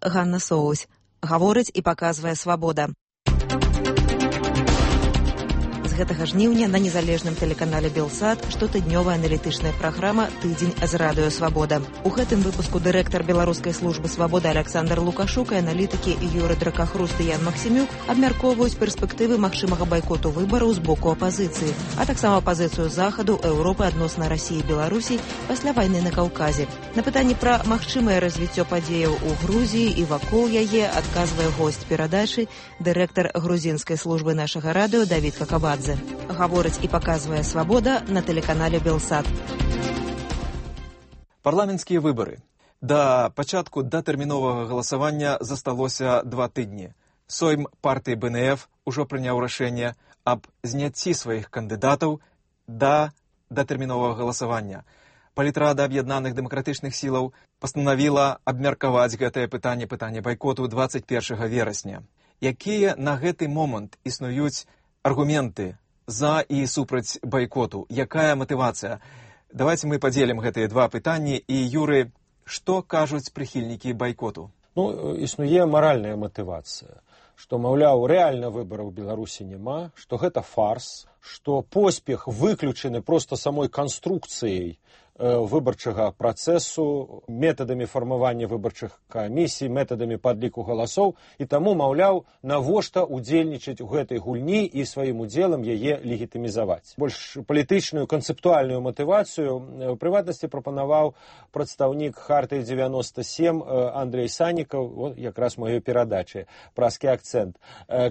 Ганна Соусь. Гаворыць і паказвае свабода. З гэтага жніўня на незалежным тэлеканале Белсат штотыднёвая аналітычная праграма «Тыдзень з радыё Свабода». У гэтым выпуску дырэктар беларускай службы свабоды Александр Лукашук і аналітыкі Юры Дракахруст і Ян Максімюк абмяркоўваюць перспектывы магчымага байкоту выбараў з боку апазіцыі, а таксама пазіцыю Захаду, Еўропы адносна Расіі і Беларусі пасля вайны на Каўказе. На пытанні пра магчымае развіццё падзеяў у Грузіі і вакол яе адказвае госць перадачы, дырэктар грузінскай службы нашага радыё Давід Какабадзе. Гаворыць і паказвае свабода на тэлеканале Белсат. Парламенцкія выбары. Да пачатку датэрміновага галасавання засталося 2 тыдні. Сойм партыі БНФ ужо прыняў рашэнне аб зняцці сваіх кандыдатаў да датэрміновага галасавання. Палітрада аб'яднаных дэмакратычных сілаў пастанавіла абмеркаваць гэтае пытанне байкоту 21 верасня. Якія на гэты момант існуюць аргументы за і супраць байкоту? Якая матывацыя? Давайте мы падзелім гэтыя 2 пытанні. І, Юры, што кажуць прыхільнікі байкоту? Існуе маральная матывацыя, што, маўляў, рэальна выбараў у Беларусі няма, што гэта фарс, што поспех выключаны проста самой канструкцыяй выбарчага працэсу, метадамі фармавання выбарчых камісій, метадамі падліку галасоў, і таму, маўляў, навошта удзельнічаць у гэтай гульні і сваім удзелам яе легітымізаваць. Больш палітычную, канцэптуальную матывацыю у прыватнасці прапанаваў прадстаўнік Хартыі 97 Андрей Санікаў, якраз маёй перадачы, празкі акцэнт,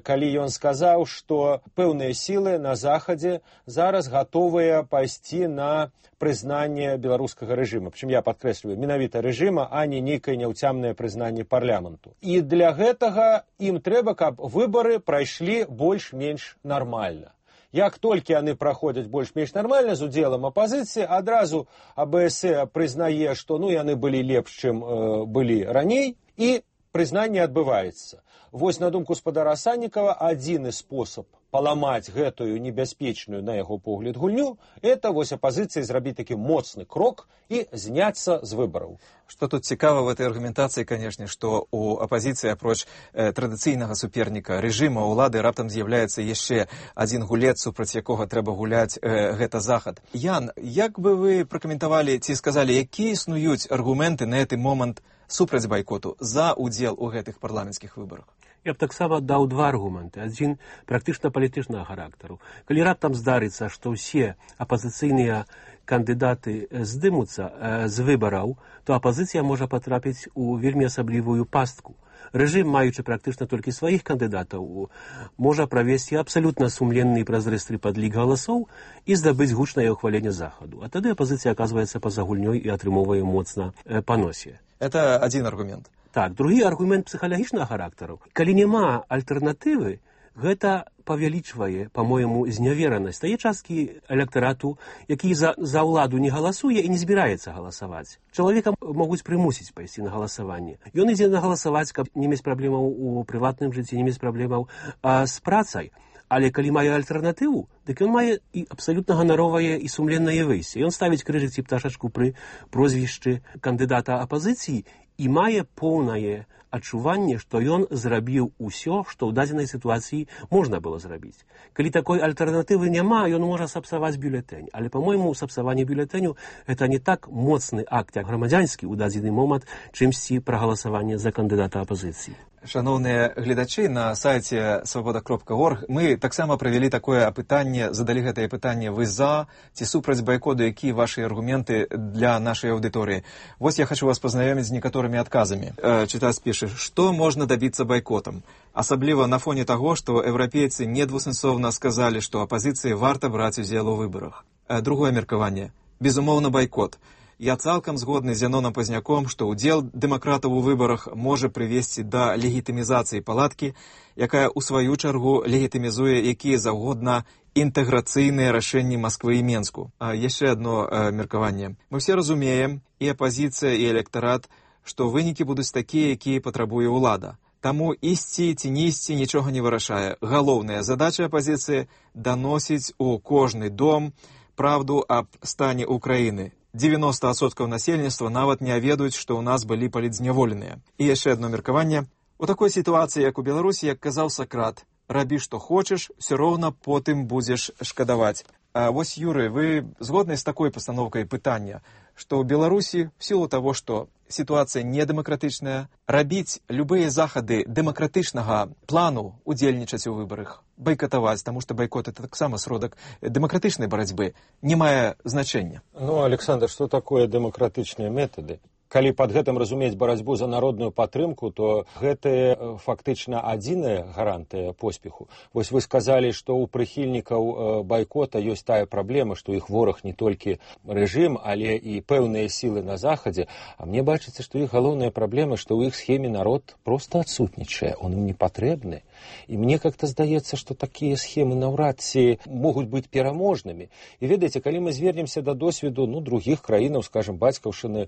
калі ён сказаў, што пэўныя сілы на Захадзе зараз гатовыя пайсці на прызнанне беларускага рэжыма. Прычым я падкрэсліваю, менавіта рэжыма, а не нейкае няўцямнае прызнанне парламенту. І для гэтага ім трэба, каб выбары прайшлі больш-менш нармальна. Як толькі яны праходзяць больш-менш нармальна з удзелам апазіцыі, адразу АБС прызнае, што яны былі лепш, чым былі раней, і прызнанне адбываецца. Вось, на думку спадара Саннікава, адзіны спосаб паламаць гэтую небяспечную, на яго погляд, гульню, это вось апазіцыі зрабіць такі моцны крок і зняцца з выбараў. Што тут цікава в этой аргументацыі, канешне, што у апазіцыі, апроч традыцыйнага суперніка рэжыма ўлады, раптам з'яўляецца яшчэ адзін гулец, супраць якога трэба гуляць, гэта Захад. Ян, як бы вы пракаментавалі ці сказалі, якія існуюць аргументы на гэты момант супраць байкоту за удзел у гэтых парламенцкіх выбарах? Я б таксама даў 2 аргументы. Адзін практычна палітычнага характару. Калі раптам здарыцца, што ўсе апазіцыйныя кандыдаты здымуцца з выбараў, то апазіцыя можа патрапіць у вельмі асаблівую пастку. Рэжым, маючы практычна толькі сваіх кандыдатаў, можа правесці абсалютна сумленны і празрысты падлік галасоў і здабыць гучнае ўхваленне Захаду. А тады апазіцыя аказваецца па-за гульнёй і атрымоўвае моцна па носе. Это адзін аргумент. Так, другі аргумент псіхалагічнага характару. Калі няма альтэрнатывы, гэта павялічвае, па-мойму, зняверанасць тае часткі электарату, які за ўладу не галасуе і не збіраецца галасаваць. Чалавека могуць прымусіць пайсці на галасаванне. Ён ідзе на галасаваць, каб не мець праблемаў у прыватным жыцці, не мець праблемаў з працай. Але калі мае альтэрнатыву, дык ён мае і абсалютна ганаровае і сумленнае выйсце. Ён ставіць крыжык ці пташачку пры прозвішчы кандыдата апазіцыі і мае поўнае адчуванне, што ён зрабіў усё, што ў дадзенай сітуацыі можна было зрабіць. Калі такой альтэрнатывы няма, ён можа сапсаваць бюлетэнь. Але, па-мойму, сапсаванне бюлетэню – гэта не так моцны акт, як грамадзянскі ў дадзены момант, чымсьці прагаласаванне за кандыдата апазіцыі. Шановныя гледачы, на сайце свабода.орг мы таксама правялі такое апытанне, задалі гэтае пытанне: вы за ці супраць байкоту, якія вашы аргументы для нашай аўдыторыі? Вось я хочу вас пазнаёміць з некаторымі адказамі. Чытац піша, што можна дабіцца байкотам? Асабліва на фоне таго, што еўрапейцы недвусэнсоўна сказалі, што апазіцыі варта браць удзел у выбарах. Другое меркаванне. Безумоўна, байкот. Я цалкам згодны з Яноном Пазняком, што ўдзел дэмакратаў у выбарах можа прывесці да легітымізацыі палаткі, якая ў сваю чаргу легітымізуе якія заўгодна інтэграцыйныя рашэнні Масквы і Менску. Яшчэ адно меркаванне. Мы все разумеем, і апазіцыя, і электарат, што вынікі будуць такія, якія патрабуе ўлада. Таму ісці ці не ісці нічога не вырашае. Галоўная задача апазіцыі – даносіць у кожны дом правду аб стане Украіны. 90% насельніцтва нават не ведаюць, што ў нас былі палітзняволеныя. І яшчэ одно меркаванне. У такой сітуацыі, як у Беларусі, як казаў Сакрат, рабі што хочаш, все роўна потым будзеш шкадаваць. А вось, Юрый, вы згодны з такой пастаноўкай пытання, што ў Беларусі, в сілу таго, што сітуацыя недэмакратычная, рабіць любыя захады дэмакратычнага плану, удзельнічаць у выбарах, байкатаваць, таму што байкот — это таксама сродак дэмакратычнай барацьбы, не мае значэння. Ну, Александр, што такое дэмакратычныя метады? Калі пад гэтым разумець барацьбу за народную падтрымку, то гэта фактычна адзіная гарантыя поспеху. Вось вы сказалі, што ў прыхільнікаў байкота ёсць тая праблема, што іх вораг не толькі рэжым, але і пэўныя сілы на захадзе. А мне бачыцца, што іх галоўная праблема, што ў іх схеме народ проста адсутнічае, он ім не патрэбны. І мне как-то здаецца, што такія схемы наўрад ці могуць быць пераможнымі. І ведаеце, калі мы звернемся да досведу другіх краінаў, скажем, бацькаўшчыны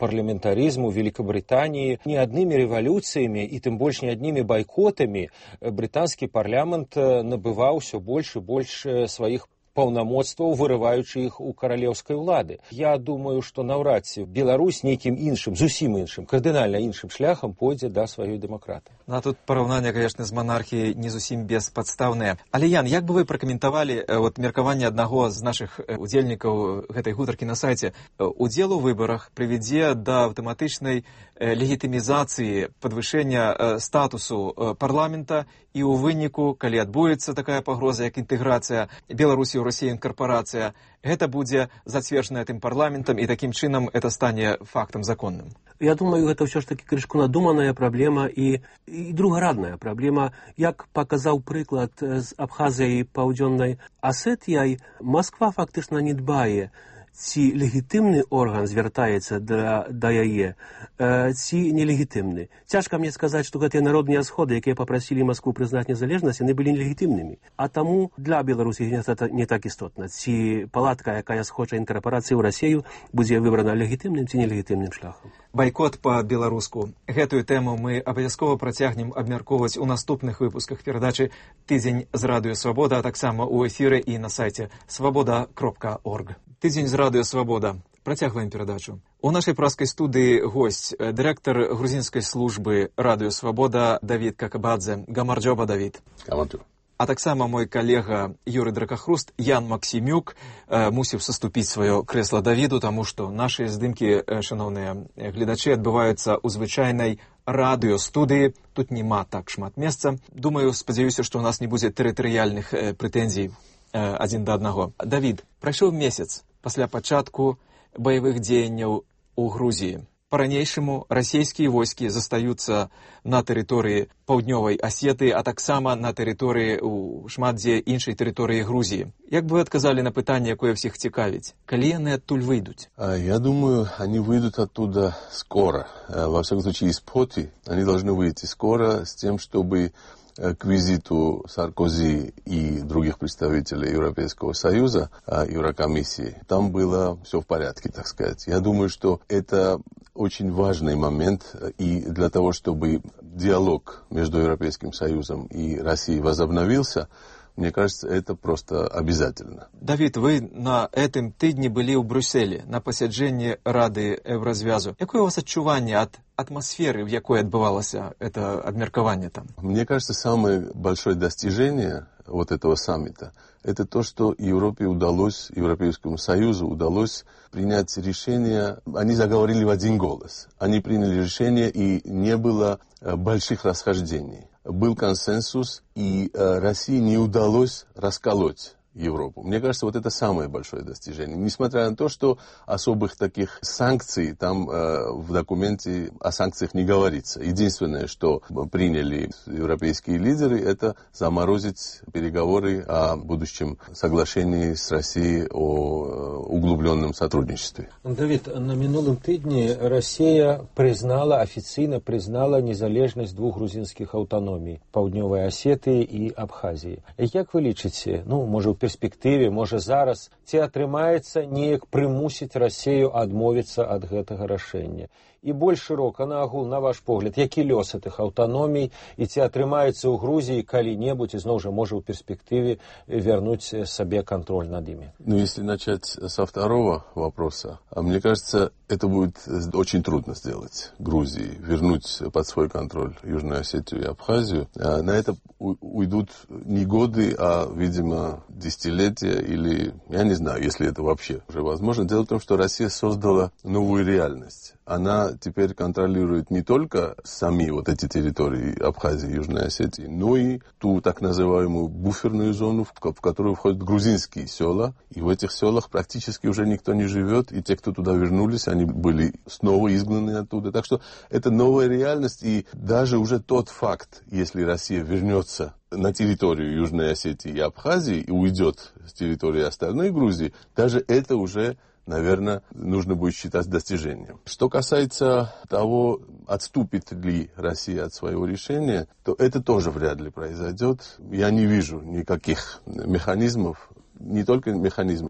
парламентаризму Великобритании, не одними революциями и тем больше не одними бойкотами британский парламент набывал все больше и больше своих паўнамоцтваў, вырываючы іх у каралеўскай улады. Я думаю, што наўрад ці Беларусь нейкім іншым, зусім іншым, кардынальна іншым шляхам пойдзе да сваёй дэмакраты. Ну, а тут параўнанне, конечно, з манархіяй не зусім беспадстаўнае. Але, Ян, як бы вы пракаментавалі меркаванне аднаго з нашых удзельнікаў гэтай гутаркі на сайце? Удзел у выбарах прывядзе да аўтаматычнай легітымізацыі, падвышэння статусу парламента, і ў выніку, калі адбудзецца такая пагроза, як інтэграцыя Беларусі ў Расію інкарпорацыя, гэта будзе зацверджана тым парламентам, і такім чынам это стане фактам законным. Я думаю, гэта ўсё ж такі крышку надуманая праблема і другарадная праблема. Як паказаў прыклад з Абхазіяй, Паўдзённай Асетіяй, Масква фактычна не дбае, ці легітымны орган звяртаецца да яе, ці нелегітымны. Цяжка мне сказаць, што гэтыя народныя сходы, якія папрасілі Маскву прызнаць незалежнасць, яны былі нелегітымнымі. А таму для Беларусі гэта не так істотна. Ці палатка, якая схоча інкарпорацыі ў Расію, будзе выбрана легітымным ці нелегітымным шляхам. Байкот па-беларуску. Гэтую тэму мы абавязкова працягнем абмяркоўваць у наступных выпусках перадачы «Тыдзень з Радыё Свабода», а таксама ў эфіры і на сайце свабода.орг. «Тыдзень з Радыё Свабода». Працягваем перадачу. У нашай праскай студыі госць, дырэктар грузінскай службы Радыё Свабода Давід Какабадзе. Гамарджоба, Давід. Гамарджоба. А таксама мой калега Юрый Дракахруст, Ян Максімюк, мусіў саступіць сваё крэсла Давіду, таму што нашы здымкі, шановныя гледачы, адбываюцца ў звычайнай радыёстудыі. Тут няма так шмат месца. Думаю, спадзяюся, што ў нас не будзе тэрытарыяльных прэтэнзій адзін да аднаго. Давід, прайшоў месяц пасля пачатку баявых дзеянняў у Грузіі. Па-ранейшаму расійскія войскі застаюцца на тэрыторыі паўднёвай Асеты, а таксама на тэрыторыі ў шмат дзе іншай тэрыторыі Грузіі. Як бы вы адказалі на пытанне, якое всіх цікавіць? Калі яны адтуль выйдуць? Я думаю, они выйдут оттуда скоро. Во всяком случае, из Поти они должны выйти скоро с тем, чтобы к визиту Саркози и других представителей Европейского Союза, Еврокомиссии, там было все в порядке, так сказать. Я думаю, что это очень важный момент, и для того, чтобы диалог между Европейским Союзом и Россией возобновился, мне кажется, это просто обязательно. Давид, вы на этом тыдні былі ў Брюсселі на пасяджэнні Рады Еўразвязу. Якое у вас адчуванне ад атмосферы, в якой отбывалось это обмеркование там? Мне кажется, самое большое достижение вот этого саммита — это то, что Европе удалось, Европейскому Союзу удалось принять решение. Они заговорили в один голос. Они приняли решение, и не было больших расхождений. Был консенсус, и России не удалось расколоть Европу. Мне кажется, вот это самое большое достижение. Несмотря на то, что особых таких санкций там в документе о санкциях не говорится. Единственное, что приняли европейские лидеры, это заморозить переговоры о будущем соглашении с Россией о углубленном сотрудничестве. Давид, на минулым тыдні Россия официально признала незалежность двух грузинских автономий — Паўднёвай Асетыі и Абхазии. Как вы лічыце, может, перспектыве, можа зараз, ці атрымаецца неяк прымусіць Расію адмовіцца ад гэтага рашэння. І больш шырока, на агул, на ваш погляд, які лёс гэтых аўтаномій, і ці атрымаецца ў Грузіі калі-небудзь, і зноў жа можа ў перспектыве вернуць сабе контроль над ими? Ну, если начать со второго вопроса, мне кажется, это будет очень трудно сделать Грузии, вернуть под свой контроль Южную Осетию и Абхазию. На это уйдут не годы, а, видимо, десятилетия или, я не знаю, если это вообще уже возможно. Дело в том, что Россия создала новую реальность. Она теперь контролирует не только сами вот эти территории Абхазии и Южной Осетии, но и ту так называемую буферную зону, в которую входят грузинские села. И в этих селах практически уже никто не живет, и те, кто туда вернулись, они были снова изгнаны оттуда. Так что это новая реальность, и даже уже тот факт, если Россия вернется на территорию Южной Осетии и Абхазии и уйдет с территории остальной Грузии, даже это уже, наверное, нужно будет считать достижением. Что касается того, отступит ли Россия от своего решения, то это тоже вряд ли произойдет. Я не вижу никаких механизмов, не только механизмов,